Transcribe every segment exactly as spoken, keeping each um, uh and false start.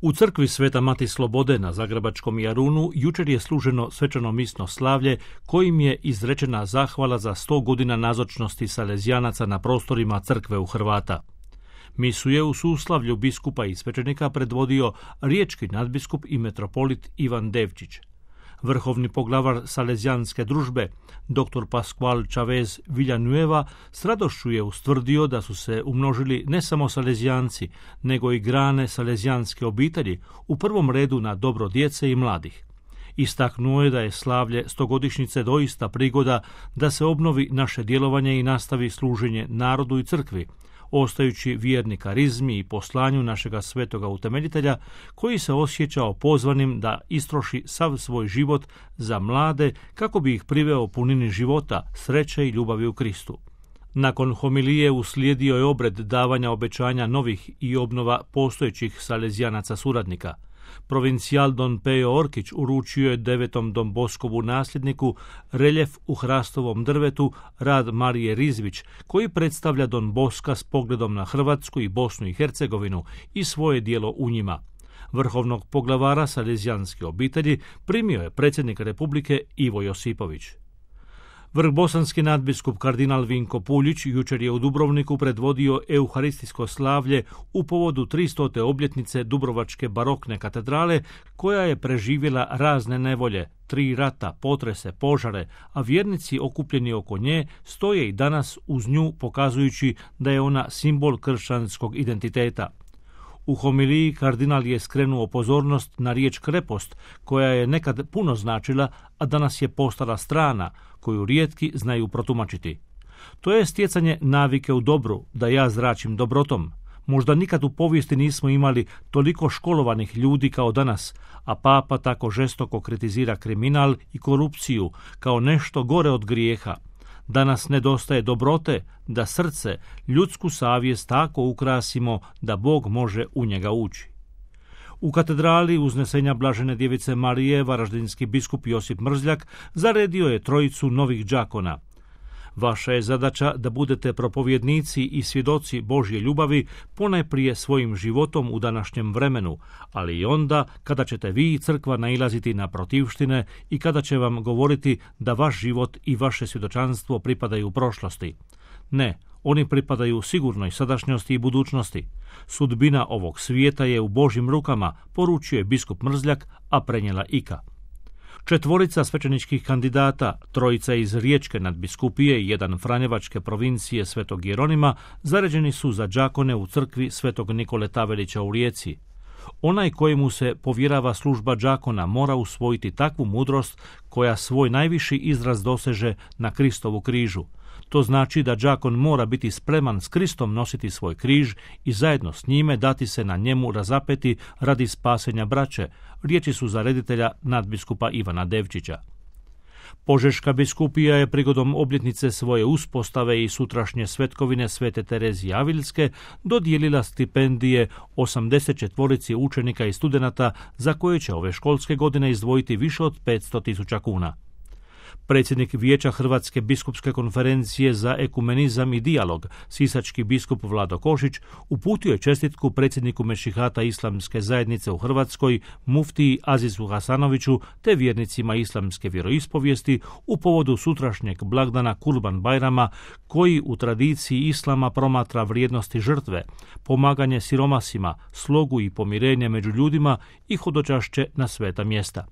U crkvi Sveta Mati Slobode na Zagrebačkom Jarunu jučer je služeno svečano misno slavlje kojim je izrečena zahvala za sto godina nazočnosti salezijanaca na prostorima crkve u Hrvata. Misu je u suslavlju biskupa i svećenika predvodio riječki nadbiskup i metropolit Ivan Devčić. Vrhovni poglavar Salezijanske družbe, dr. Pascual Chavez Villanueva, s radošću je ustvrdio da su se umnožili ne samo Salezijanci, nego i grane Salezijanske obitelji, u prvom redu na dobro djece i mladih. Istaknuo je da je slavlje stogodišnjice doista prigoda da se obnovi naše djelovanje i nastavi služenje narodu i crkvi, ostajući vjerni karizmi i poslanju našega svetoga utemeljitelja, koji se osjećao pozvanim da istroši sav svoj život za mlade kako bi ih priveo punini života, sreće i ljubavi u Kristu. Nakon homilije uslijedio je obred davanja obećanja novih i obnova postojećih salezijanaca suradnika. Provincijal Don Pejo Orkić uručio je devetom Don Boskovu nasljedniku reljef u hrastovom drvetu rad Marije Rizvić, koji predstavlja Don Boska s pogledom na Hrvatsku i Bosnu i Hercegovinu i svoje djelo u njima. Vrhovnog poglavara Salezijanske obitelji primio je predsjednik Republike Ivo Josipović. Vrhbosanski nadbiskup kardinal Vinko Puljić jučer je u Dubrovniku predvodio euharistijsko slavlje u povodu tristote obljetnice Dubrovačke barokne katedrale, koja je preživjela razne nevolje, tri rata, potrese, požare, a vjernici okupljeni oko nje stoje i danas uz nju, pokazujući da je ona simbol kršćanskog identiteta. U homiliji kardinal je skrenuo pozornost na riječ krepost, koja je nekad puno značila, a danas je postala strana, koju rijetki znaju protumačiti. To je stjecanje navike u dobru, da ja zračim dobrotom. Možda nikad u povijesti nismo imali toliko školovanih ljudi kao danas, a papa tako žestoko kritizira kriminal i korupciju kao nešto gore od grijeha. Danas nedostaje dobrote, da srce, ljudsku savjest tako ukrasimo da Bog može u njega ući. U katedrali uznesenja Blažene djevice Marije varaždinski biskup Josip Mrzljak zaredio je trojicu novih đakona. Vaša je zadaća da budete propovjednici i svjedoci Božje ljubavi ponajprije svojim životom u današnjem vremenu, ali i onda kada ćete vi i crkva nailaziti na protivštine i kada će vam govoriti da vaš život i vaše svjedočanstvo pripadaju prošlosti. Ne, oni pripadaju sigurnoj sadašnjosti i budućnosti. Sudbina ovog svijeta je u Božjim rukama, poručio je biskup Mrzljak, a prenijela Ika. Četvorica svećeničkih kandidata, trojica iz Riječke nadbiskupije i jedan franjevačke provincije Svetog Jeronima, zaređeni su za đakone u crkvi Svetog Nikole Tavelića u Rijeci. Onaj kojemu se povjerava služba đakona mora usvojiti takvu mudrost koja svoj najviši izraz doseže na Kristovu križu. To znači da đakon mora biti spreman s Kristom nositi svoj križ i zajedno s njime dati se na njemu razapeti radi spasenja braće, riječi su za reditelja nadbiskupa Ivana Devčića. Požeška biskupija je prigodom obljetnice svoje uspostave i sutrašnje svetkovine Svete Terezije Avilske dodijelila stipendije osamdeset četvorici učenika i studenata za koje će ove školske godine izdvojiti više od petsto tisuća kuna. Predsjednik Vijeća Hrvatske biskupske konferencije za ekumenizam i dijalog, sisački biskup Vlado Košić, uputio je čestitku predsjedniku Mešihata Islamske zajednice u Hrvatskoj, muftiji Azizu Hasanoviću, te vjernicima islamske vjeroispovijesti u povodu sutrašnjeg blagdana Kurban Bajrama, koji u tradiciji islama promatra vrijednosti žrtve, pomaganje siromasima, slogu i pomirenje među ljudima i hodočašće na sveta mjesta.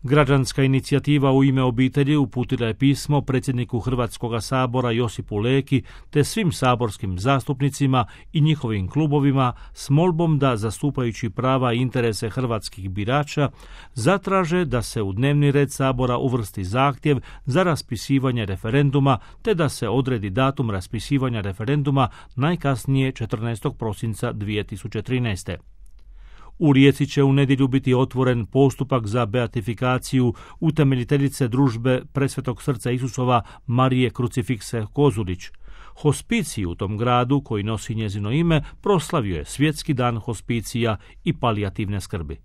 Građanska inicijativa U ime obitelji uputila je pismo predsjedniku Hrvatskoga sabora Josipu Leki te svim saborskim zastupnicima i njihovim klubovima s molbom da, zastupajući prava i interese hrvatskih birača, zatraže da se u dnevni red sabora uvrsti zahtjev za raspisivanje referenduma te da se odredi datum raspisivanja referenduma najkasnije četrnaestog prosinca dvije tisuće trinaeste. U Rijeci će u nedjelju biti otvoren postupak za beatifikaciju utemeljiteljice družbe Presvetog srca Isusova Marije Krucifikse Kozulić. Hospicij u tom gradu, koji nosi njezino ime, proslavio je Svjetski dan hospicija i palijativne skrbi.